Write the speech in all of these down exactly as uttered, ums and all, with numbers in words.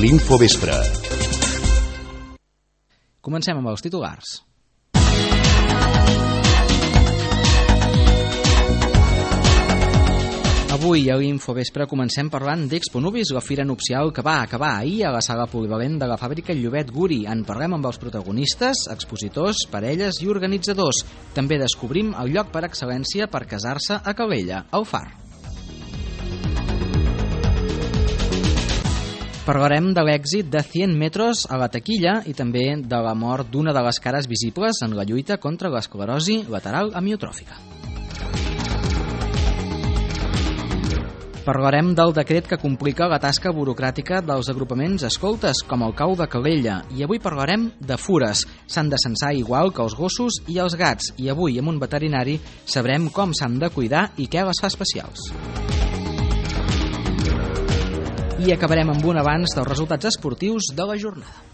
l'Infovespre. Comencem amb els titulars. Avui a l'Infovespre comencem parlant d'Exponubis, la fira nupcial que va acabar ahir a la sala polivalent de la fàbrica Llobet Guri. En parlem amb els protagonistes, expositors, parelles i organitzadors. També descobrim el lloc per excel·lència per casar-se a Calella, al Far. Parlarem de l'èxit de cent metros a la taquilla i també de la mort d'una de les cares visibles en la lluita contra l'esclerosi lateral amiotròfica. Parlarem del decret que complica la tasca burocràtica dels agrupaments escoltes, com el cau de Calella, i avui parlarem de fures. S'han de censar igual que els gossos i els gats, i avui amb un veterinari sabrem com s'han de cuidar i què les fa especials. I acabarem amb un avanç dels resultats esportius de la jornada.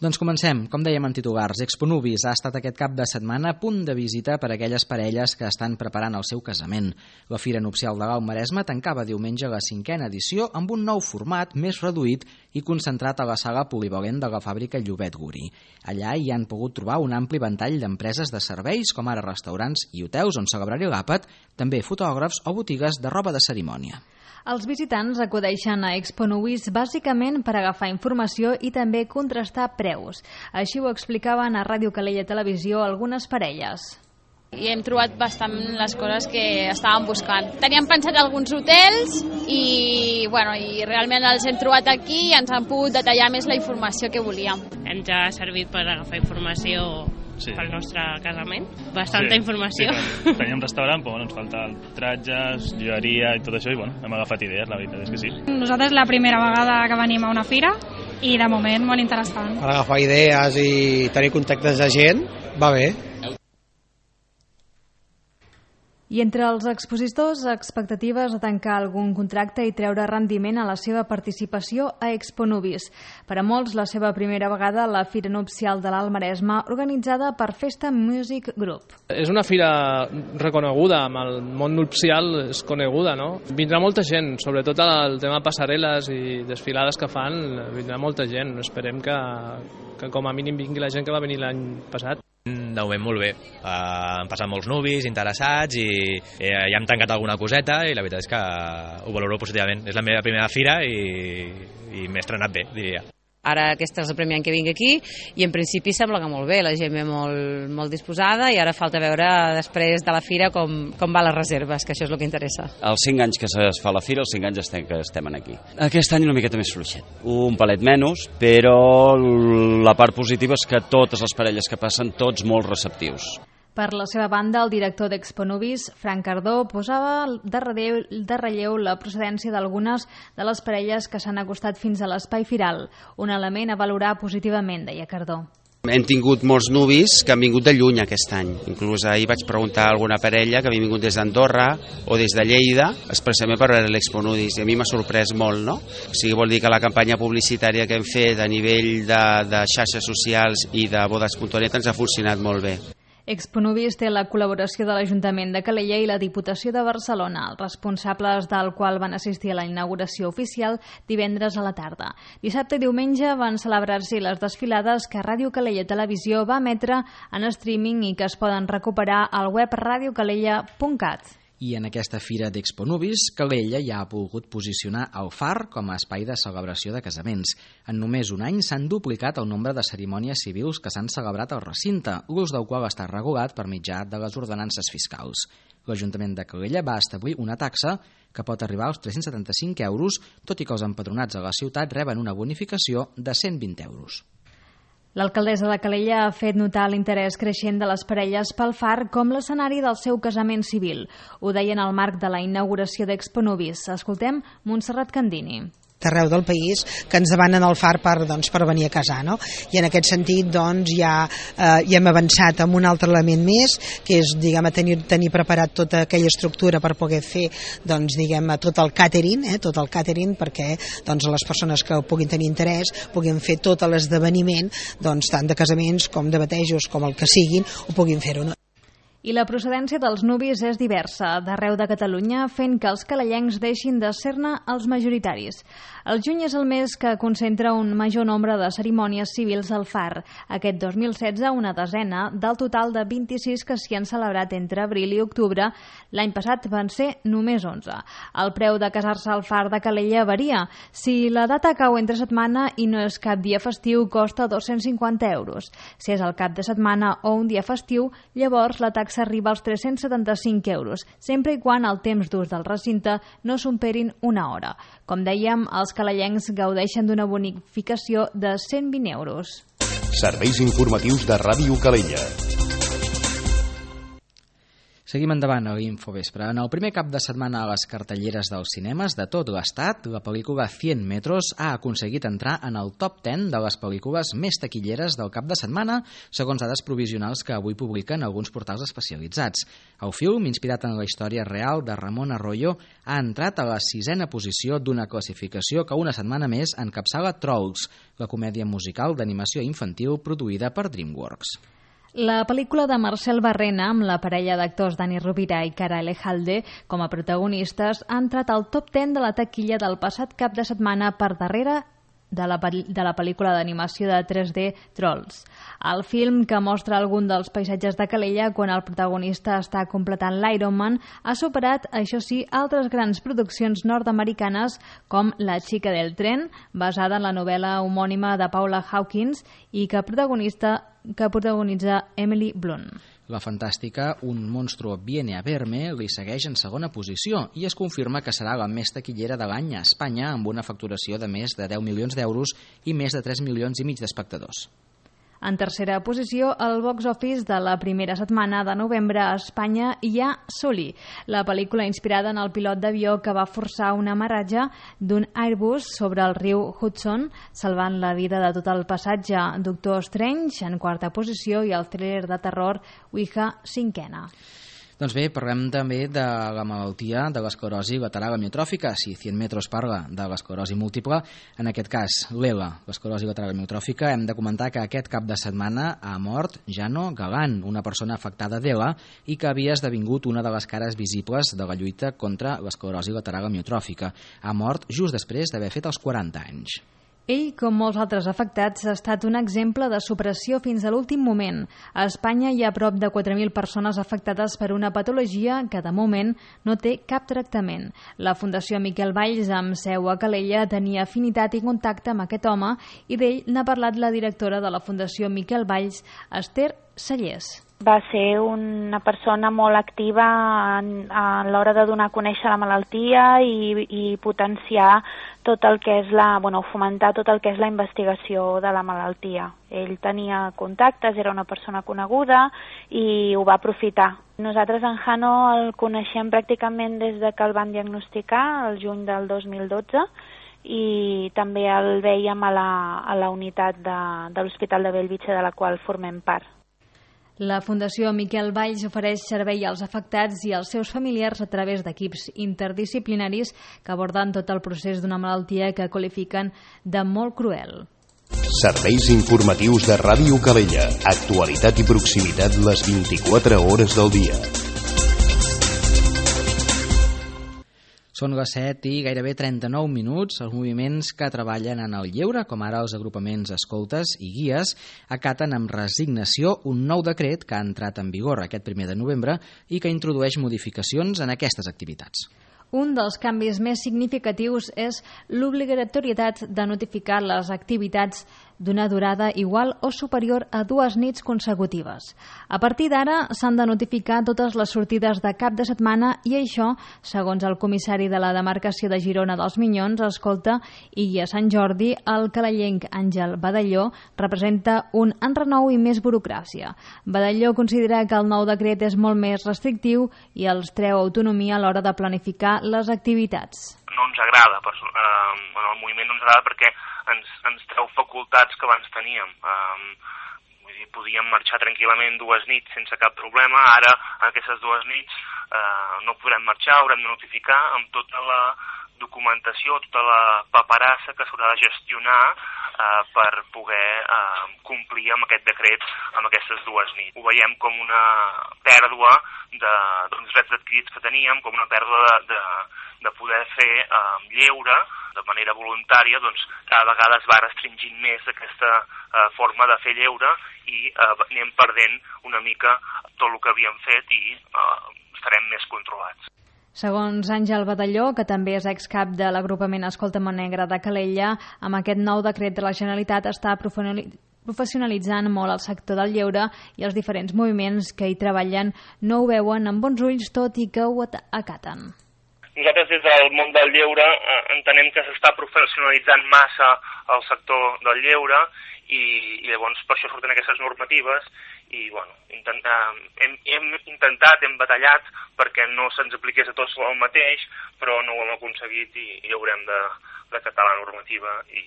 Doncs comencem. Com dèiem en titulars, Exponubis ha estat aquest cap de setmana a punt de visita per a aquelles parelles que estan preparant el seu casament. La Fira Nupcial de l'Alt Maresme tancava diumenge la cinquena edició amb un nou format més reduït i concentrat a la sala polivalent de la fàbrica Llobet Guri. Allà hi han pogut trobar un ampli ventall d'empreses de serveis, com ara restaurants i hotels on celebrar-hi l'àpat, també fotògrafs o botigues de roba de cerimònia. Els visitants acudeixen a Exponubis bàsicament per agafar informació i també contrastar preus. Així ho explicaven a Ràdio Calella Televisió algunes parelles. I hem trobat bastant les coses que estàvem buscant. Teníem pensat alguns hotels i, bueno, i realment els hem trobat aquí i ens han pogut detallar més la informació que volíem. Ens ha servit per agafar informació sí. pel nostre casament. Bastanta sí, informació. Sí, teníem restaurant, però bueno, ens falta tratges, joieria i tot això, i bueno, hem agafat idees, la veritat és que sí. Nosaltres la primera vegada que venim a una fira i de moment molt interessant. Per agafar idees i tenir contactes de gent, va bé. I entre els expositors, expectatives de tancar algun contracte i treure rendiment a la seva participació a Exponubis. Per a molts, la seva primera vegada a la Fira Nupcial de l'Alt Maresme, organitzada per Festa Music Group. És una fira reconeguda, amb el món nupcial és coneguda, no? Vindrà molta gent, sobretot el tema passarel·les i desfilades que fan, vindrà molta gent. Esperem que, que com a mínim vingui la gent que va venir l'any passat. De moment molt bé, uh, han passat molts nuvis interessats i eh, ja hem tancat alguna coseta i la veritat és que ho valoro positivament. És la meva primera fira i, i m'he estrenat bé, diria. Ara aquesta és el primer any que vinc aquí i en principi sembla que molt bé, la gent ve molt, molt disposada i ara falta veure després de la fira com, com va les reserves, que això és el que interessa. Els cinc anys que es fa la fira, els cinc anys estem, que estem aquí. Aquest any una miqueta més fluixet, un palet menys, però la part positiva és que totes les parelles que passen, tots molt receptius. Per la seva banda, el director d'Exponubis, Frank Cardó, posava de relleu, de relleu la procedència d'algunes de les parelles que s'han acostat fins a l'espai firal, un element a valorar positivament, deia Cardó. Hem tingut molts nuvis que han vingut de lluny aquest any. Inclús ahir vaig preguntar a alguna parella que havia vingut des d'Andorra o des de Lleida, expressament per veure l'Exponubis, i a mi m'ha sorprès molt, no? O sigui, vol dir que la campanya publicitària que hem fet a nivell de, de xarxes socials i de bodes punt net ens ha funcionat molt bé. Exponubis té la col·laboració de l'Ajuntament de Calella i la Diputació de Barcelona, els responsables del qual van assistir a la inauguració oficial divendres a la tarda. Dissabte i diumenge van celebrar-s'hi les desfilades que Ràdio Calella Televisió va emetre en streaming i que es poden recuperar al web radio calella punt cat. I en aquesta fira d'Exponubis, Calella ja ha volgut posicionar el Far com a espai de celebració de casaments. En només un any s'han duplicat el nombre de cerimònies civils que s'han celebrat al recinte, l'ús del qual està regulat per mitjà de les ordenances fiscals. L'Ajuntament de Calella va establir una taxa que pot arribar als tres-cents setanta-cinc euros, tot i que els empadronats a la ciutat reben una bonificació de cent vint euros. L'alcaldessa de Calella ha fet notar l'interès creixent de les parelles pel Far com l'escenari del seu casament civil. Ho deia en el marc de la inauguració d'Exponubis. Escoltem Montserrat Candini. d'arreu del país que ens demanen el Far per, doncs, per venir a casar, no? I en aquest sentit doncs, ja, eh, ja hem avançat amb un altre element més, que és diguem, tenir, tenir preparat tota aquella estructura per poder fer doncs, diguem, tot el catering, eh, tot el catering perquè doncs, les persones que puguin tenir interès puguin fer tot l'esdeveniment, doncs, tant de casaments com de batejos com el que siguin, ho puguin fer-ho. No? I la procedència dels nuvis és diversa, d'arreu de Catalunya, fent que els calellencs deixin de ser-ne els majoritaris. El juny és el mes que concentra un major nombre de cerimònies civils al Far. Aquest dos mil setze, una desena del total de vint-i-sis que s'hi han celebrat entre abril i octubre. L'any passat van ser només onze. El preu de casar-se al Far de Calella varia. Si la data cau entre setmana i no és cap dia festiu, costa dos-cents cinquanta euros. Si és el cap de setmana o un dia festiu, llavors la taxa s'arriba als tres-cents setanta-cinc euros, sempre i quan el temps d'ús del recinte no superin una hora. Com dèiem, els calellencs gaudeixen d'una bonificació de cent vint euros. Serveis informatius de Ràdio Calella. Seguim endavant a l'Infovespre. En el primer cap de setmana a les cartelleres dels cinemes de tot l'estat, la pel·lícula cent metros ha aconseguit entrar en el top deu de les pel·lícules més taquilleres del cap de setmana, segons dades provisionals que avui publiquen alguns portals especialitzats. El film, inspirat en la història real de Ramon Arroyo, ha entrat a la sisena posició d'una classificació que una setmana més encapçala Trolls, la comèdia musical d'animació infantil produïda per DreamWorks. La pel·lícula de Marcel Barrena, amb la parella d'actors Dani Rovira i Cara Elejalde com a protagonistes, ha entrat al top deu de la taquilla del passat cap de setmana per darrere de la, de la pel·lícula d'animació de tres D Trolls. El film, que mostra algun dels paisatges de Calella quan el protagonista està completant l'Ironman, ha superat, això sí, altres grans produccions nord-americanes com La xica del tren, basada en la novel·la homònima de Paula Hawkins i que protagonista que protagonitza Emily Blunt. La fantàstica Un monstruo viene a verme li segueix en segona posició i es confirma que serà la més taquillera de l'any a Espanya, amb una facturació de més de deu milions d'euros i més de tres milions i mig d'espectadors. En tercera posició, el box office de la primera setmana de novembre a Espanya hi ha Sully, la pel·lícula inspirada en el pilot d'avió que va forçar un amarratge d'un Airbus sobre el riu Hudson, salvant la vida de tot el passatge. Doctor Strange, en quarta posició, i el thriller de terror Ouija, cinquena. Doncs bé, parlem també de la malaltia de l'esclerosi lateral amiotròfica. Si cent metros parla de l'esclerosi múltiple, en aquest cas l'E L A, l'esclerosi lateral amiotròfica, hem de comentar que aquest cap de setmana ha mort Jano Galán, una persona afectada d'E L A i que havia esdevingut una de les cares visibles de la lluita contra l'esclerosi lateral amiotròfica. Ha mort just després d'haver fet els quaranta anys. Ell, com molts altres afectats, ha estat un exemple de supressió fins a l'últim moment. A Espanya hi ha prop de quatre mil persones afectades per una patologia que, de moment, no té cap tractament. La Fundació Miquel Valls, amb seu a Calella, tenia afinitat i contacte amb aquest home i d'ell n'ha parlat la directora de la Fundació Miquel Valls, Esther Sallés. Va ser una persona molt activa en, a l'hora de donar a conèixer la malaltia i, i potenciar tot el que és la, bueno, fomentar tot el que és la investigació de la malaltia. Ell tenia contactes, era una persona coneguda i ho va aprofitar. Nosaltres en Jano el coneixem pràcticament des de que el van diagnosticar, el juny del dos mil dotze, i també el veiem a la, a la unitat de, de l'Hospital de Bellvitge, de la qual formem part. La Fundació Miquel Valls ofereix servei als afectats i als seus familiars a través d'equips interdisciplinaris que aborden tot el procés d'una malaltia que qualifiquen de molt cruel. Serveis informatius de Ràdio Calella. Actualitat i proximitat les vint-i-quatre hores del dia. Són les set i gairebé trenta-nou minuts. Els moviments que treballen en el lleure, com ara els agrupaments escoltes i guies, acaten amb resignació un nou decret que ha entrat en vigor aquest primer de novembre i que introdueix modificacions en aquestes activitats. Un dels canvis més significatius és l'obligatorietat de notificar les activitats d'una durada igual o superior a dues nits consecutives. A partir d'ara s'han de notificar totes les sortides de cap de setmana i això, segons el comissari de la demarcació de Girona dels Minyons, Escolta i Guia Sant Jordi, el calellenc Àngel Badalló, representa un enrenou i més burocràcia. Badalló considera que el nou decret és molt més restrictiu i els treu autonomia a l'hora de planificar les activitats. No ens agrada, eh, el moviment no ens agrada perquè ens, ens treu facultats que abans teníem. Eh, vull dir, podíem marxar tranquil·lament dues nits sense cap problema. Ara, aquestes dues nits, eh, no podrem marxar, haurem de notificar amb tota la documentació, tota la paperassa que s'haurà de gestionar eh, per poder eh, complir amb aquest decret amb aquestes dues nits. Ho veiem com una pèrdua de, dels drets adquirits que teníem, com una pèrdua de, de, de poder fer eh, lleure de manera voluntària. Doncs cada vegada es va restringint més aquesta eh, forma de fer lleure i eh, anem perdent una mica tot el que havíem fet i eh, estarem més controlats. Segons Àngel Badalló, que també és excap de l'agrupament Escolta Montnegre de Calella, amb aquest nou decret de la Generalitat està professionalitzant molt el sector del lleure i els diferents moviments que hi treballen no ho veuen amb bons ulls, tot i que ho acaten. Nosaltres des del món del lleure eh, entenem que s'està professionalitzant massa el sector del lleure i, i llavors per això surten aquestes normatives i bueno, intent, eh, hem, hem intentat, hem batallat perquè no se'ns apliqués a tots el mateix, però no ho hem aconseguit i, i haurem de, de catar la normativa i,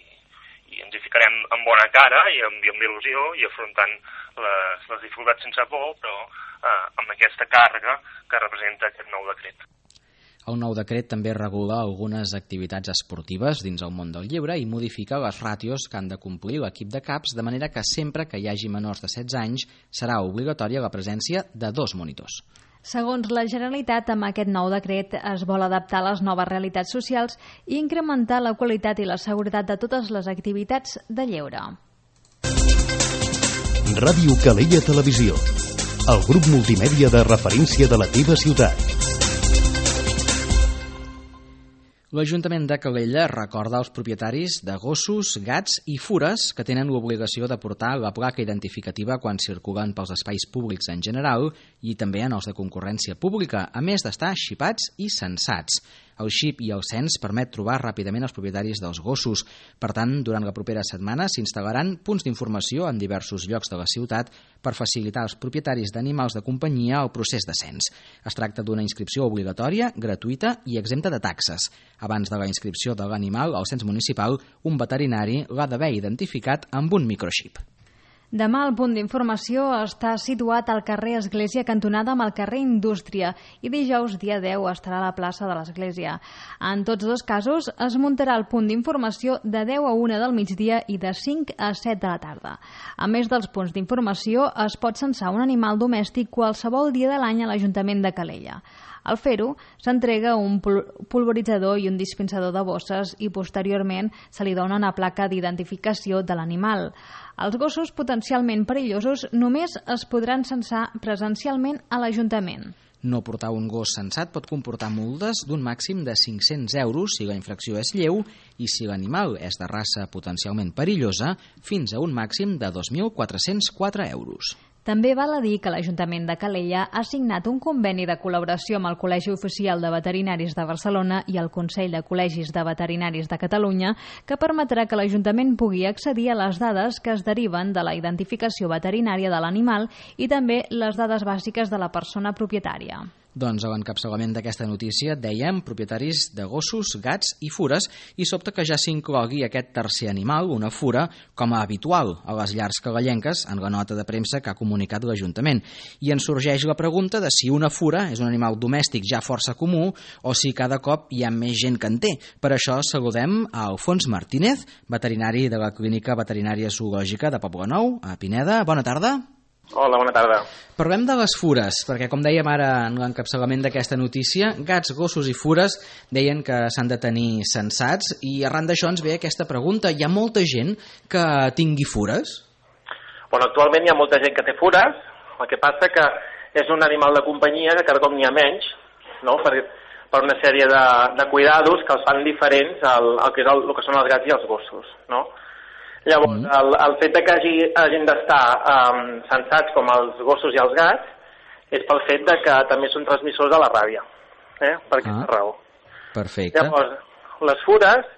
i ens hi ficarem amb bona cara i amb, i amb il·lusió i afrontant les, les dificultats sense por, però eh, amb aquesta càrrega que representa aquest nou decret. El nou decret també regula algunes activitats esportives dins el món del lleure i modifica les ràtios que han de complir l'equip de caps, de manera que sempre que hi hagi menors de setze anys serà obligatòria la presència de dos monitors. Segons la Generalitat, amb aquest nou decret es vol adaptar a les noves realitats socials i incrementar la qualitat i la seguretat de totes les activitats de lleure. Ràdio Calella Televisió, el grup multimèdia de referència de la teva ciutat. L'Ajuntament de Calella recorda als propietaris de gossos, gats i fures que tenen l'obligació de portar la placa identificativa quan circulen pels espais públics en general i també en els de concurrència pública, a més d'estar xipats i censats. El xip i el cens permet trobar ràpidament els propietaris dels gossos. Per tant, durant la propera setmana s'instal·laran punts d'informació en diversos llocs de la ciutat per facilitar als propietaris d'animals de companyia el procés de cens. Es tracta d'una inscripció obligatòria, gratuïta i exempta de taxes. Abans de la inscripció de l'animal al cens municipal, un veterinari l'ha d'haver identificat amb un microxip. Demà el punt d'informació està situat al carrer Església cantonada amb el carrer Indústria i dijous, dia deu, estarà a la plaça de l'Església. En tots dos casos es muntarà el punt d'informació de deu a una del migdia i de cinc a set de la tarda. A més dels punts d'informació, es pot censar un animal domèstic qualsevol dia de l'any a l'Ajuntament de Calella. Al fer-ho, s'entrega un pulveritzador i un dispensador de bosses i posteriorment se li dona una placa d'identificació de l'animal. Els gossos potencialment perillosos només es podran censar presencialment a l'Ajuntament. No portar un gos censat pot comportar multes d'un màxim de cinc-cents euros si la infracció és lleu i si l'animal és de raça potencialment perillosa, fins a un màxim de dos mil quatre-cents quatre euros. També val a dir que l'Ajuntament de Calella ha signat un conveni de col·laboració amb el Col·legi Oficial de Veterinaris de Barcelona i el Consell de Col·legis de Veterinaris de Catalunya que permetrà que l'Ajuntament pugui accedir a les dades que es deriven de la identificació veterinària de l'animal i també les dades bàsiques de la persona propietària. Doncs a l'encapçalament d'aquesta notícia dèiem propietaris de gossos, gats i fures i sobta que ja s'inclogui aquest tercer animal, una fura, com a habitual a les llars calellenques en la nota de premsa que ha comunicat l'Ajuntament. I ens sorgeix la pregunta de si una fura és un animal domèstic ja força comú o si cada cop hi ha més gent que en té. Per això saludem a Alfons Martínez, veterinari de la Clínica Veterinària Zoològica de Poblenou, a Pineda. Bona tarda. Hola, bona tarda. Parlem de les fures, perquè com dèiem ara en l'encapçalament d'aquesta notícia, gats, gossos i fures deien que s'han de tenir censats i arran d'això ens ve aquesta pregunta. Hi ha molta gent que tingui fures? Bueno, actualment hi ha molta gent que té fures, el que passa que és un animal de companyia que cada cop n'hi ha menys, no? per, per una sèrie de, de cuidados que els fan diferents al, al que, és el, el que són els gats i els gossos, no? Llavors, mm. el, el fet de que hagi, hagin d'estar um, censats com els gossos i els gats és pel fet de que també són transmissors de la ràbia, eh? per aquesta ah. raó. Perfecte. Llavors, les fures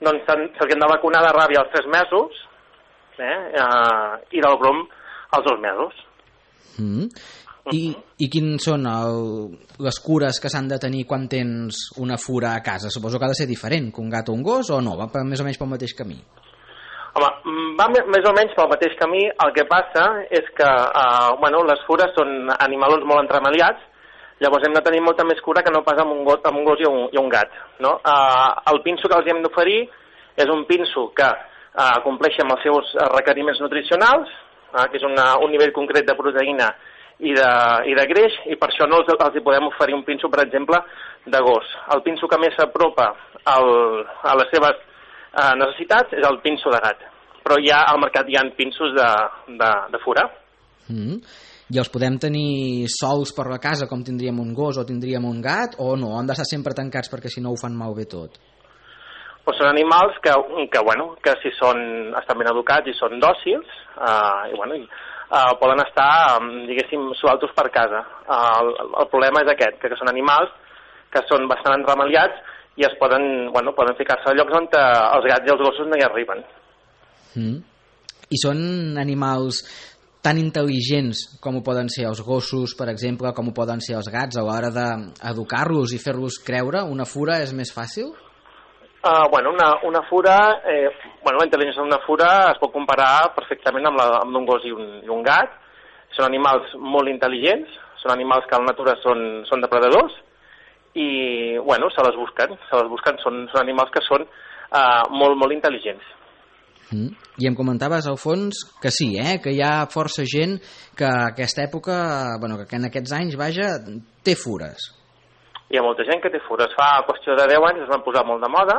doncs, se'ls han de vacunar de ràbia als tres mesos eh? uh, i del brom als dos mesos. Mm. I, I quins són el, les cures que s'han de tenir quan tens una fura a casa? Suposo que ha de ser diferent que un gat o un gos o no? Va més o menys pel mateix camí? Home, va més o menys pel mateix camí. El que passa és que eh, bueno, les fures són animals molt entremaliats, llavors hem de tenir molta més cura que no pas amb un gos, amb un gos i, un, i un gat. No? Eh, el pinso que els hem d'oferir és un pinso que eh, compleixi amb els seus requeriments nutricionals, eh, que és una, un nivell concret de proteïna i de, i de greix, i per això no els, els hi podem oferir un pinso, per exemple, de gos. El pinso que més s'apropa a les seves eh, necessitats és el pinso de gat, però ja al mercat hi ha pinsos de, de, de fura. Mm. I els podem tenir sols per la casa com tindríem un gos o tindríem un gat, o no? Han d'estar sempre tancats perquè si no ho fan malbé tot? Pues són animals que, que, bueno, que si són, estan ben educats i són dòcils, eh, i, bueno, i, Uh, poden estar, diguéssim, sueltos per casa. Uh, el, el problema és aquest, que, que són animals que són bastant entremaliats i es poden, bueno, poden ficar-se a llocs on uh, els gats i els gossos no hi arriben. Mm. I són animals tan intel·ligents com ho poden ser els gossos, per exemple, com ho poden ser els gats a l'hora d'educar-los i fer-los creure? Una fura és més fàcil? Uh, bueno, una, una fura, eh, bueno, la intel·ligència d'una fura es pot comparar perfectament amb la amb un gos i un, i un gat. Són animals molt intel·ligents, són animals que a la natura són, són depredadors i, bueno, se les busquen, se les busquen, són, són animals que són uh, molt, molt intel·ligents. Mm. I em comentaves, al fons, que sí, eh? Que hi ha força gent que aquesta època, bueno, que en aquests anys, vaja, té fures. Hi ha molta gent que té fures. Fa qüestió de deu anys es van posar molt de moda.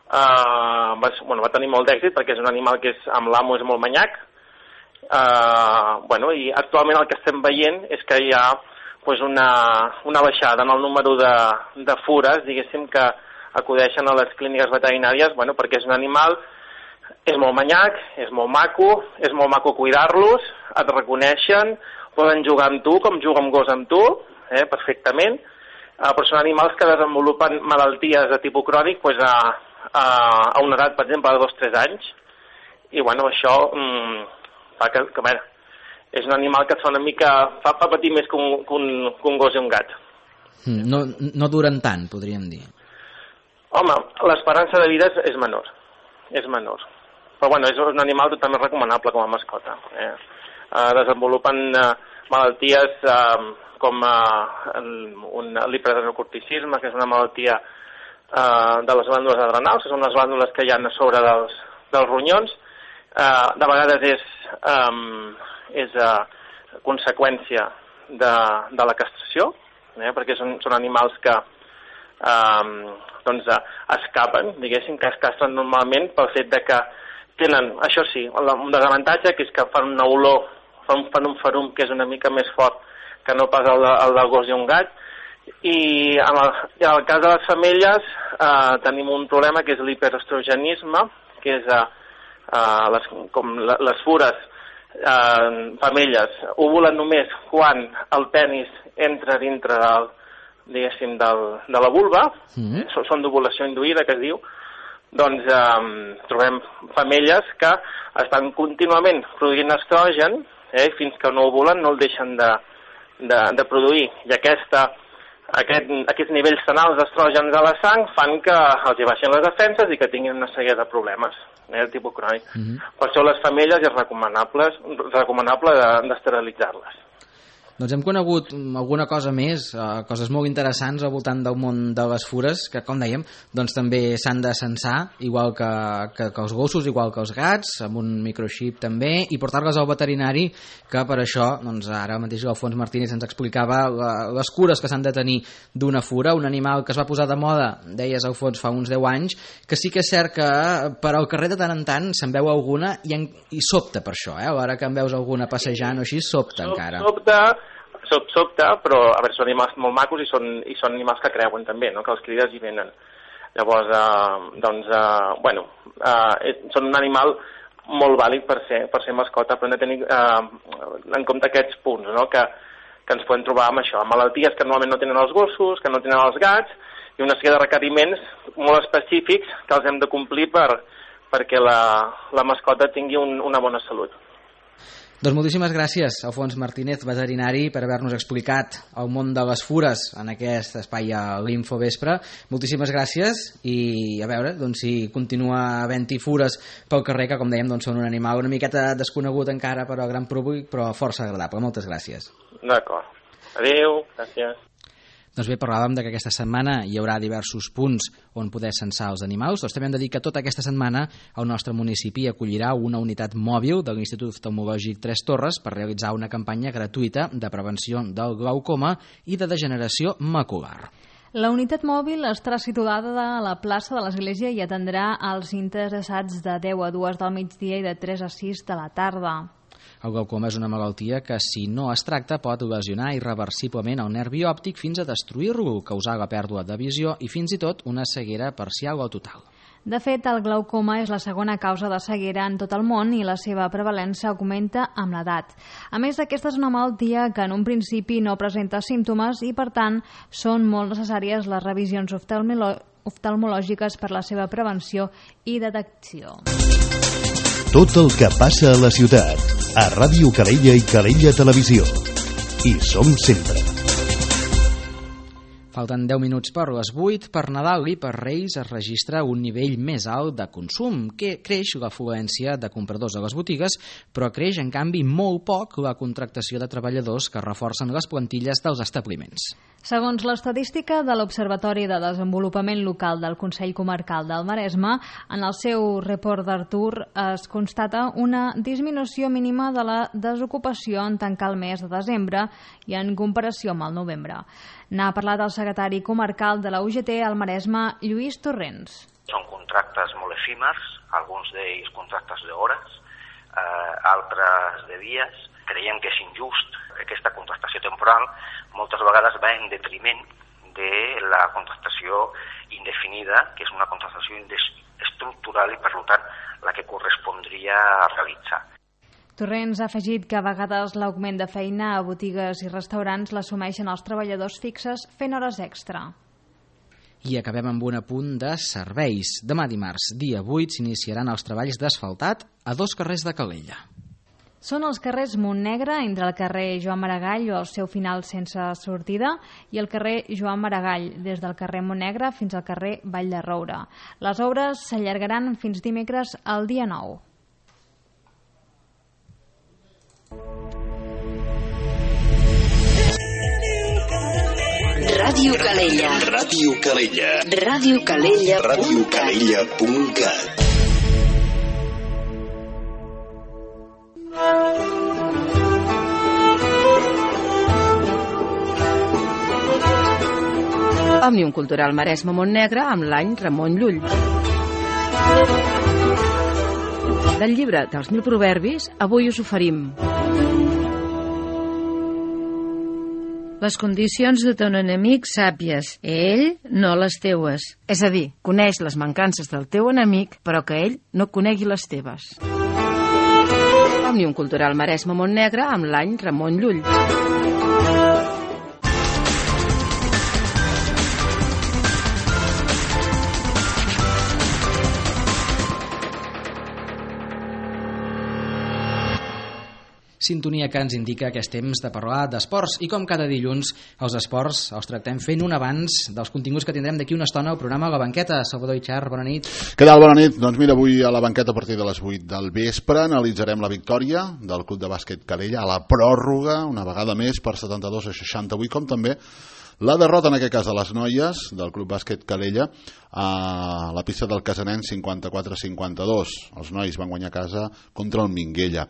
Uh, va, bueno, va tenir molt d'èxit perquè és un animal que és, amb l'amo és molt manyac. Uh, bueno, i actualment el que estem veient és que hi ha pues, una, una baixada en el número de, de fures, diguéssim, que acudeixen a les clíniques veterinàries, bueno, perquè és un animal, és molt manyac, és molt maco, és molt maco cuidar-los, et reconeixen, poden jugar amb tu com juga un gos amb tu, eh, perfectament. Uh, però són animals que desenvolupen malalties de tipus crònic pues, a, a, a una edat, per exemple, de dos o tres anys. I, bueno, això mm, fa que, que bueno, és un animal que fa una mica, fa, fa patir més que un, que, un, que un gos i un gat. No, no duren tant, podríem dir. Home, l'esperança de vida és, és menor. És menor. Però, bueno, és un animal totalment recomanable com a mascota. Eh? Uh, desenvolupen uh, malalties... Uh, com eh, un l'hiperadrenocorticisme, que és una malaltia eh, de les glàndules adrenals, que són les glàndules que hi ha a sobre dels, dels ronyons. Eh, de vegades és, eh, és eh, conseqüència de, de la castració, eh, perquè són, són animals que eh, doncs, eh, escapen, diguéssim, que es castren normalment pel fet de que tenen, això sí, un desavantatge, que és que fan una olor, fan, fan un ferum que és una mica més fort que no pas el, de, el del gos i un gat, i en el, en el cas de les femelles eh, tenim un problema que és l'hiperestrogenisme, que és eh, eh, les, com les fures eh, femelles ovulen només quan el penis entra dintre del, diguéssim, del, de la vulva, mm-hmm. eh, són d'ovulació induïda, que es diu, doncs eh, trobem femelles que estan contínuament produint estrogen, eh, fins que no ovulen no el deixen de De, de produir, i aquesta, aquest, aquests nivells tan alts d'estrògens a la sang fan que els hi baixin les defenses i que tinguin una sèrie de problemes eh, de tipus crònic. Mm-hmm. Per això les femelles és recomanable, recomanable d'esterilitzar-les. Doncs hem conegut alguna cosa més, eh, coses molt interessants al voltant del món de les fures, que, com dèiem, doncs també s'han de censar, igual que, que, que els gossos, igual que els gats, amb un microxip també, i portar-les al veterinari, que per això, doncs ara mateix l'Alfons Martínez ens explicava la, les cures que s'han de tenir d'una fura, un animal que es va posar de moda, deies, Alfons, fa uns deu anys, que sí que és cert que per al carrer de tant en tant se'n veu alguna i, en, i sobta per això, eh? A l'hora que en veus alguna passejant o així, sobta Sob, encara. Sobta, Sob, sobta, però a veure, són animals molt macos i són, i són animals que creuen també, no? Que els crides i venen. Llavors, eh, doncs, eh, bueno, eh, són un animal molt vàlid per ser, per ser mascota, però hem de tenir eh, en compte aquests punts, no? Que, que ens podem trobar amb això, amb malalties que normalment no tenen els gossos, que no tenen els gats, i una sèrie de requeriments molt específics que els hem de complir per, perquè la, la mascota tingui un, una bona salut. Doncs moltíssimes gràcies, Alfons Martínez, veterinari, per haver-nos explicat el món de les fures en aquest espai a l'Infovespre. Moltíssimes gràcies i a veure doncs, si continua havent-hi fures pel carrer, que com dèiem doncs, són un animal una miqueta desconegut encara per al gran públic, però força agradable. Moltes gràcies. D'acord. Adéu, gràcies. Doncs bé, parlàvem de que aquesta setmana hi haurà diversos punts on poder censar els animals. Doncs també hem de dir que tota aquesta setmana el nostre municipi acollirà una unitat mòbil de l'Institut Oftalmològic Tres Torres per realitzar una campanya gratuïta de prevenció del glaucoma i de degeneració macular. La unitat mòbil estarà situada a la plaça de l'Església i atendrà als interessats de deu a dues del migdia i de tres a sis de la tarda. El glaucoma és una malaltia que, si no es tracta, pot lesionar irreversiblement el nervi òptic fins a destruir-lo, causar la pèrdua de visió i fins i tot una ceguera parcial o total. De fet, el glaucoma és la segona causa de ceguera en tot el món i la seva prevalença augmenta amb l'edat. A més, aquesta és una malaltia que en un principi no presenta símptomes i, per tant, són molt necessàries les revisions oftalmològiques per la seva prevenció i detecció. Tot el que passa a la ciutat, a Ràdio Calella i Calella Televisió. Hi som sempre. Falten deu minuts per les vuit. Per Nadal i per Reis es registra un nivell més alt de consum, que creix l'afluència de compradors a les botigues, però creix, en canvi, molt poc la contractació de treballadors que reforcen les plantilles dels establiments. Segons l'estadística de l'Observatori de Desenvolupament Local del Consell Comarcal del Maresme, en el seu report d'Artur es constata una disminució mínima de la desocupació en tancar el mes de desembre i en comparació amb el novembre. N'ha parlat el secretari comarcal de la U G T al Maresme, Lluís Torrents. Són contractes molt efímers, alguns d'ells contractes d'hores, eh, altres de dies. Creiem que és injust. Aquesta contractació temporal moltes vegades va en detriment de la contractació indefinida, que és una contractació estructural i, per tant, la que correspondria a realitzar. Torrents ha afegit que a vegades l'augment de feina a botigues i restaurants l'assumeixen els treballadors fixes fent hores extra. I acabem amb un apunt de serveis. Demà dimarts, dia vuit, s'iniciaran els treballs d'asfaltat a dos carrers de Calella. Són els carrers Montnegre, entre el carrer Joan Maragall o el seu final sense sortida, i el carrer Joan Maragall, des del carrer Montnegre fins al carrer Vall de Roure. Les obres s'allargaran fins dimecres al dia nou. Ràdio Calella. Ràdio Calella. Ràdio Calella. Ràdio Calella punt cat. Òmnium Cultural Maresme Montnegre amb l'any Ramon Llull. Del llibre dels mil proverbis, avui us oferim les condicions de ton enemic sàpies, ell no les teues. És a dir, coneix les mancances del teu enemic, però que ell no conegui les teves. Òmnium Cultural Maresme Montnegre amb l'any Ramon Llull. Sintonia que ens indica que és temps de parlar d'esports i com cada dilluns els esports els tractem fent un abans dels continguts que tindrem d'aquí una estona al programa La Banqueta. Salvador Itxart, bona nit. Què tal? Bona nit. Doncs mira, avui a La Banqueta a partir de les vuit del vespre analitzarem la victòria del Club de Bàsquet Calella a la pròrroga, una vegada més per setanta-dos a seixanta-vuit, com també la derrota en aquest cas de les noies del Club Bàsquet Calella a la pista del Casanenc cinquanta-quatre a cinquanta-dos. Els nois van guanyar a casa contra el Minguella.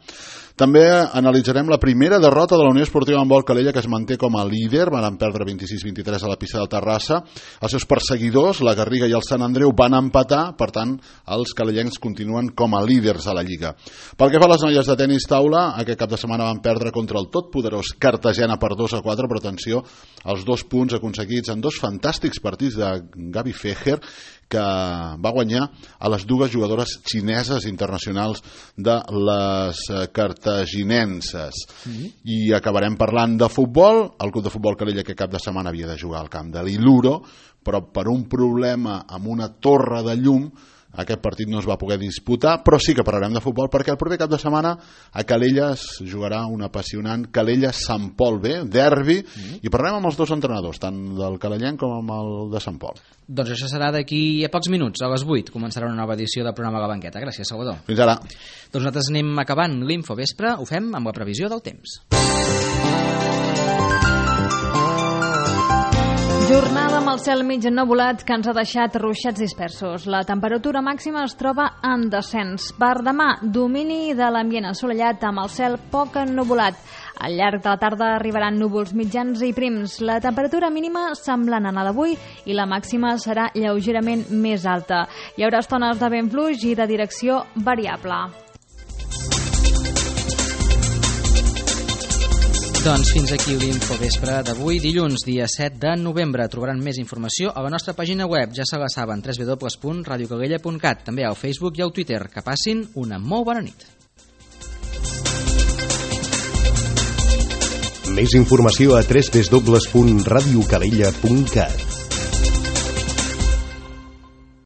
També analitzarem la primera derrota de la Unió Esportiva Handbol Calella, que es manté com a líder. Van perdre vint-i-sis a vint-i-tres a la pista del Terrassa. Els seus perseguidors, la Garriga i el Sant Andreu, van empatar. Per tant, els calellencs continuen com a líders a la Lliga. Pel que fa a les noies de tenis taula, aquest cap de setmana van perdre contra el totpoderós Cartagena per dos a quatre, però atenció, els dos punts aconseguits en dos fantàstics partits de Gabi Fejer, que va guanyar a les dues jugadores xineses internacionals de les cartaginenses. Mm-hmm. I acabarem parlant de futbol. El Club de Futbol Calella aquest cap de setmana havia de jugar al camp de l'Iluro, però per un problema amb una torre de llum aquest partit no es va poder disputar, però sí que parlarem de futbol perquè el proper cap de setmana a Calella es jugarà un apassionant Calella-Sant Pol B, derbi, mm. i parlarem amb els dos entrenadors, tant del calellenc com amb el de Sant Pol. Doncs això serà d'aquí a pocs minuts, a les vuit començarà una nova edició del programa La Banqueta. Gràcies, Salvador. Fins ara. Doncs nosaltres anem acabant l'Infovespre, ho fem amb la previsió del temps. Jornada amb el cel mig ennuvolat que ens ha deixat ruixats dispersos. La temperatura màxima es troba en descens. Per demà, domini de l'ambient assolellat amb el cel poc ennuvolat. Al llarg de la tarda arribaran núvols mitjans i prims. La temperatura mínima semblant a la d'avui i la màxima serà lleugerament més alta. Hi haurà estones de vent fluix i de direcció variable. Doncs fins aquí l'Infovespre d'avui, dilluns, dia set de novembre. Trobaran més informació a la nostra pàgina web, ja se la saben, w w w punt radio calella punt cat, també al Facebook i al Twitter. Que passin una molt bona nit. Més informació a w w w punt radio calella punt cat.